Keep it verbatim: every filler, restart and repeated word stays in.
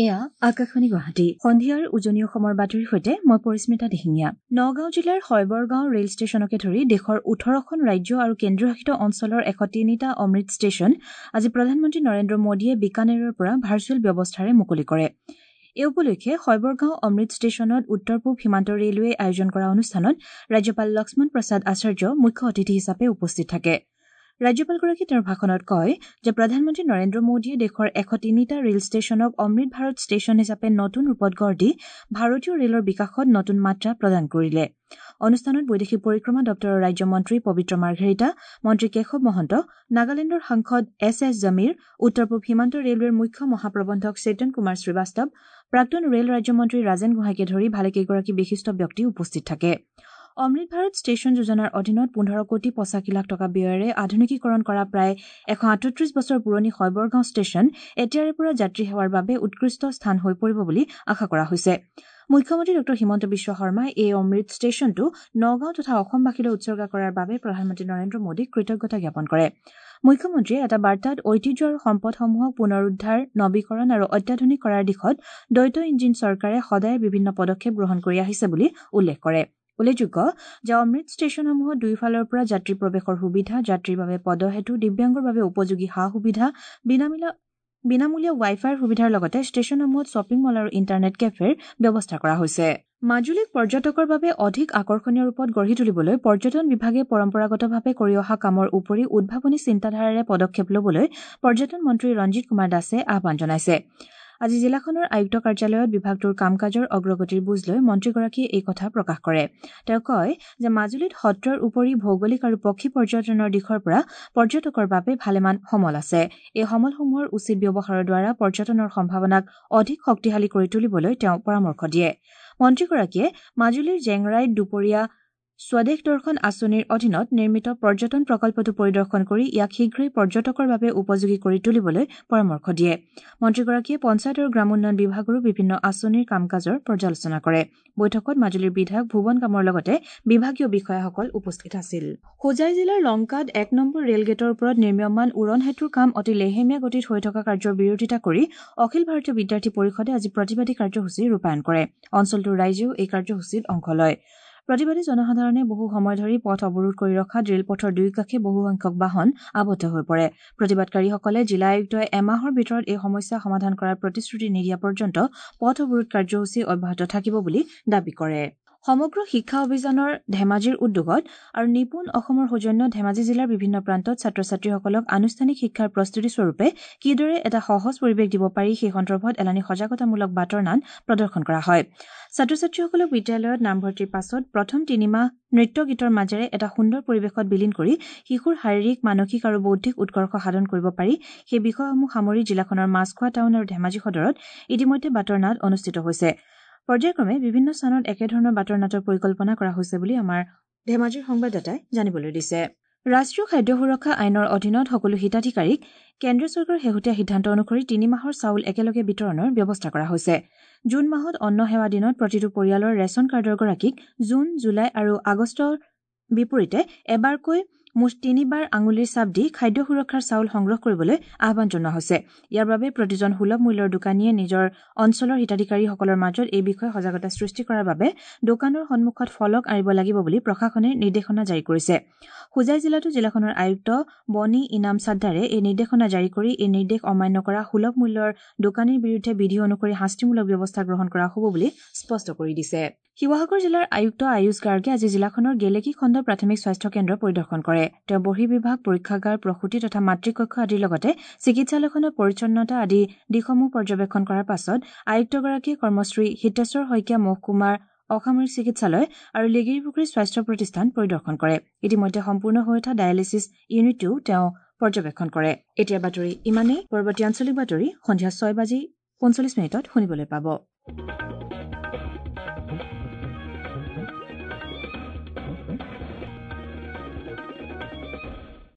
এয়া আকাশবাণী গুৱাহাটী। সন্ধিয়াৰ উজনি অসমৰ বাতৰিৰ সৈতে মই পৰিস্মিতা দিহিঙীয়া। নগাঁও জিলাৰ হয়বৰগাঁও ৰেল ষ্টেচনকে ধৰি দেশৰ ওঠৰখন ৰাজ্য আৰু কেন্দ্ৰীয়শাসিত অঞ্চলৰ এশ তিনিটা অমৃত ষ্টেচন আজি প্ৰধানমন্ত্ৰী নৰেন্দ্ৰ মোদীয়ে বিকানেৰৰ পৰা ভাৰ্চুৱেল ব্যৱস্থাৰে মুকলি কৰে। এই উপলক্ষে হয়বৰগাঁও অমৃত ষ্টেচনত উত্তৰ পূব সীমান্ত ৰেলৱেই আয়োজন কৰা অনুষ্ঠানত ৰাজ্যপাল লক্ষ্মণ প্ৰসাদ আচাৰ্য মুখ্য অতিথি হিচাপে উপস্থিত থাকে। ৰাজ্যপালগৰাকীয়ে তেওঁৰ ভাষণত কয় যে প্ৰধানমন্ত্ৰী নৰেন্দ্ৰ মোদীয়ে দেশৰ এশ তিনিটা ৰেল ষ্টেচনক অমৃত ভাৰত ষ্টেচন হিচাপে নতুন ৰূপত গঢ় দি ভাৰতীয় ৰেলৰ বিকাশত নতুন মাত্ৰা প্ৰদান কৰিলে। অনুষ্ঠানত বৈদেশিক পৰিক্ৰমা দপ্তৰৰ ৰাজ্যমন্ত্ৰী পবিত্ৰ মাৰ্ঘেৰিটা, মন্ত্ৰী কেশৱ মহন্ত, নাগালেণ্ডৰ সাংসদ এছ এছ জমীৰ, উত্তৰ পূব সীমান্ত ৰেলৱেৰ মুখ্য মহাপ্ৰবন্ধক চেতন কুমাৰ শ্ৰীবাস্তৱ, প্ৰাক্তন ৰেল ৰাজ্যমন্ত্ৰী ৰাজেন গোহাঁইকে ধৰি ভালেকেইগৰাকী বিশিষ্ট ব্যক্তি উপস্থিত থাকে। অমৃত ভাৰত ষ্টেচন যোজনাৰ অধীনত পোন্ধৰ কোটি পঁচাশী লাখ টকা ব্যয়েৰে আধুনিকীকৰণ কৰা প্ৰায় এশ আঠত্ৰিশ বছৰ পুৰণি হয়বৰগাঁও ষ্টেচন এতিয়াৰে পৰা যাত্ৰী সেৱাৰ বাবে উৎকৃষ্ট স্থান হৈ পৰিব বুলি আশা কৰা হৈছে। মুখ্যমন্ত্ৰী ডঃ হিমন্ত বিশ্ব শৰ্মাই এই অমৃত ষ্টেচনটো নগাঁও তথা অসমবাসীলৈ উৎসৰ্গা কৰাৰ বাবে প্ৰধানমন্ত্ৰী নৰেন্দ্ৰ মোদীক কৃতজ্ঞতা জ্ঞাপন কৰে। মুখ্যমন্ত্ৰীয়ে এটা বাৰ্তাত ঐতিহ্য আৰু সম্পদসমূহক পুনৰুদ্ধাৰ, নবীকৰণ আৰু অত্যাধুনিক কৰাৰ দিশত দ্বৈত ইঞ্জিন চৰকাৰে সদায় বিভিন্ন পদক্ষেপ গ্ৰহণ কৰি আহিছে বুলি উল্লেখ কৰে। উল্লেখযোগ্য যে অমৃত ষ্টেচনসমূহত দুয়োফালৰ পৰা যাত্ৰী প্ৰৱেশৰ সুবিধা, যাত্ৰীৰ বাবে পদসেতু, দিব্যাংগৰ বাবে উপযোগী সা সুবিধা, বিনামূলীয়া ৱাই ফাইৰ সুবিধাৰ লগতে ষ্টেচনসমূহত শ্বপিং মল আৰু ইণ্টাৰনেট কেফেৰ ব্যৱস্থা কৰা হৈছে। মাজুলীক পৰ্যটকৰ বাবে অধিক আকৰ্ষণীয় ৰূপত গঢ়ি তুলিবলৈ পৰ্যটন বিভাগে পৰম্পৰাগতভাৱে কৰি অহা কামৰ উপৰি উদ্ভাৱনী চিন্তাধাৰাৰে পদক্ষেপ ল'বলৈ পৰ্যটন মন্ত্ৰী ৰঞ্জিত কুমাৰ দাসে আহ্বান জনাইছে। আজি জিলাখনৰ আয়ুক্ত কাৰ্যালয়ত বিভাগটোৰ কাম কাজৰ অগ্ৰগতিৰ বুজ লৈ মন্ত্ৰীগৰাকীয়ে এই কথা প্ৰকাশ কৰে। তেওঁ কয় যে মাজুলীত সত্ৰৰ উপৰি ভৌগোলিক আৰু পক্ষী পৰ্যটনৰ দিশৰ পৰা পৰ্যটকৰ বাবে ভালেমান সমল আছে। এই সমলসমূহৰ উচিত ব্যৱহাৰৰ দ্বাৰা পৰ্যটনৰ সম্ভাৱনাক অধিক শক্তিশালী কৰি তুলিবলৈ তেওঁ পৰামৰ্শ দিয়ে। মন্ত্ৰীগৰাকীয়ে মাজুলীৰ জেংৰাইত দুপৰীয়া স্বদেশ দৰ্শন আঁচনিৰ অধীনত নিৰ্মিত পৰ্যটন প্ৰকল্পটো পৰিদৰ্শন কৰি ইয়াক শীঘ্ৰেই পৰ্যটকৰ বাবে উপযোগী কৰি তুলিবলৈ পৰামৰ্শ দিয়ে। মন্ত্ৰীগৰাকীয়ে পঞ্চায়ত আৰু গ্ৰামোন্নয়ন বিভাগৰো বিভিন্ন আঁচনিৰ কাম কাজৰ পৰ্যালোচনা কৰে। বৈঠকত মাজুলীৰ বিধায়ক ভুৱন কামৰ লগতে বিভাগীয় বিষয়াসকল উপস্থিত আছিল। হোজাই জিলাৰ লংকাত এক নম্বৰ ৰেলগেটৰ ওপৰত নিৰ্মীয়মান উৰণ সেতুৰ কাম অতি লেহেমীয়া গতিত হৈ থকা কাৰ্যৰ বিৰোধিতা কৰি অখিল ভাৰতীয় বিদ্যাৰ্থী পৰিষদে আজি প্ৰতিবাদী কাৰ্যসূচী ৰূপায়ণ কৰে। অঞ্চলটোৰ ৰাইজেও এই কাৰ্যসূচীত অংশ লয়। প্ৰতিবাদী জনসাধাৰণে বহু সময় ধৰি পথ অৱৰোধ কৰি ৰখাত ৰেলপথৰ দুয়োকাষে বহুসংখ্যক বাহন আবদ্ধ হৈ পৰে। প্ৰতিবাদকাৰীসকলে জিলা আয়ুক্তই এমাহৰ ভিতৰত এই সমস্যা সমাধান কৰাৰ প্ৰতিশ্ৰুতি নিদিয়া পৰ্যন্ত পথ অৱৰোধ কাৰ্যসূচী অব্যাহত থাকিব বুলি দাবী কৰে। সমগ্ৰ শিক্ষা অভিযানৰ ধেমাজিৰ উদ্যোগত আৰু নিপুণ অসমৰ সৌজন্যত ধেমাজি জিলাৰ বিভিন্ন প্ৰান্তত ছাত্ৰ ছাত্ৰীসকলক আনুষ্ঠানিক শিক্ষাৰ প্ৰস্তুতি স্বৰূপে কিদৰে এটা সহজ পৰিৱেশ দিব পাৰি সেই সন্দৰ্ভত এলানি সজাগতামূলক বাটৰ নাট প্ৰদৰ্শন কৰা হয়। ছাত্ৰ ছাত্ৰীসকলক বিদ্যালয়ত নামভৰ্তিৰ পাছত প্ৰথম তিনিমাহ নৃত্য গীতৰ মাজেৰে এটা সুন্দৰ পৰিৱেশত বিলীন কৰি শিশুৰ শাৰীৰিক, মানসিক আৰু বৌদ্ধিক উৎকৰ্ষ সাধন কৰিব পাৰি সেই বিষয়সমূহ সামৰি জিলাখনৰ মাছখোৱা টাউন আৰু ধেমাজি সদৰত ইতিমধ্যে বাটৰ নাট অনুষ্ঠিত হৈছে। পৰ্যায়ক্ৰমে বিভিন্ন স্থানত একেধৰণৰ বাটৰ নাটৰ পৰিকল্পনা কৰা হৈছে বুলি আমাৰ ধেমাজিৰ সংবাদদাতাই জানিবলৈ দিছে। ৰাষ্ট্ৰীয় খাদ্য সুৰক্ষা আইনৰ অধীনত সকলো হিতাধিকাৰীক কেন্দ্ৰীয় চৰকাৰৰ শেহতীয়া সিদ্ধান্ত অনুসৰি তিনি মাহৰ চাউল একেলগে বিতৰণৰ ব্যৱস্থা কৰা হৈছে। জুন মাহত অন্ন সেৱা দিনত প্ৰতিটো পৰিয়ালৰ ৰেচন কাৰ্ডৰ গৰাকীক জুন, জুলাই আৰু আগষ্টৰ বিপৰীতে এবাৰকৈ মুঠ তিনিবাৰ আঙুলিৰ চাপ দি খাদ্য সুৰক্ষাৰ চাউল সংগ্ৰহ কৰিবলৈ আহ্বান জনোৱা হৈছে। ইয়াৰ বাবে প্ৰতিজন সুলভ মূল্যৰ দোকানীয়ে নিজৰ অঞ্চলৰ হিতাধিকাৰীসকলৰ মাজত এই বিষয়ে সজাগতা সৃষ্টি কৰাৰ বাবে দোকানৰ সন্মুখত ফলক আঁৰিব লাগিব বুলি প্ৰশাসনে নিৰ্দেশনা জাৰি কৰিছে। হোজাই জিলাতো জিলাখনৰ আয়ুক্ত বনী ইনাম চাদ্দাৰে এই নিৰ্দেশনা জাৰি কৰি এই নিৰ্দেশ অমান্য কৰা সুলভ মূল্যৰ দোকানীৰ বিৰুদ্ধে বিধি অনুসৰি শাস্তিমূলক ব্যৱস্থা গ্ৰহণ কৰা হ'ব বুলি স্পষ্ট কৰি দিছে। শিৱসাগৰ জিলাৰ আয়ুক্ত আয়ুষ গাৰ্গে আজি জিলাখনৰ গেলেকী খণ্ড প্ৰাথমিক স্বাস্থ্য কেন্দ্ৰ পৰিদৰ্শন কৰে। তেওঁ বহিৰ্বিভাগ, পৰীক্ষাগাৰ, প্ৰসূতি তথা মাতৃকক্ষ আদিৰ লগতে চিকিৎসালয়খনৰ পৰিচ্ছন্নতা আদি দিশসমূহ পৰ্যবেক্ষণ কৰাৰ পাছত আয়ুক্তগৰাকীয়ে কৰ্মশ্ৰী হিতেশ্বৰ শইকীয়া মহকুমাৰ অসামৰিক চিকিৎসালয় আৰু লেগেৰীপুখুৰী স্বাস্থ্য প্ৰতিষ্ঠান পৰিদৰ্শন কৰে। ইতিমধ্যে সম্পূৰ্ণ হৈ উঠা ডায়েলিছিছ ইউনিটটোও তেওঁ পৰ্যবেক্ষণ কৰে। এতিয়া বাতৰি ইমানেই। পৰৱৰ্তী আঞ্চলিক বাতৰি সন্ধিয়া ছয় বাজি পঞ্চল্লিছ মিনিটত শুনিবলৈ পাব।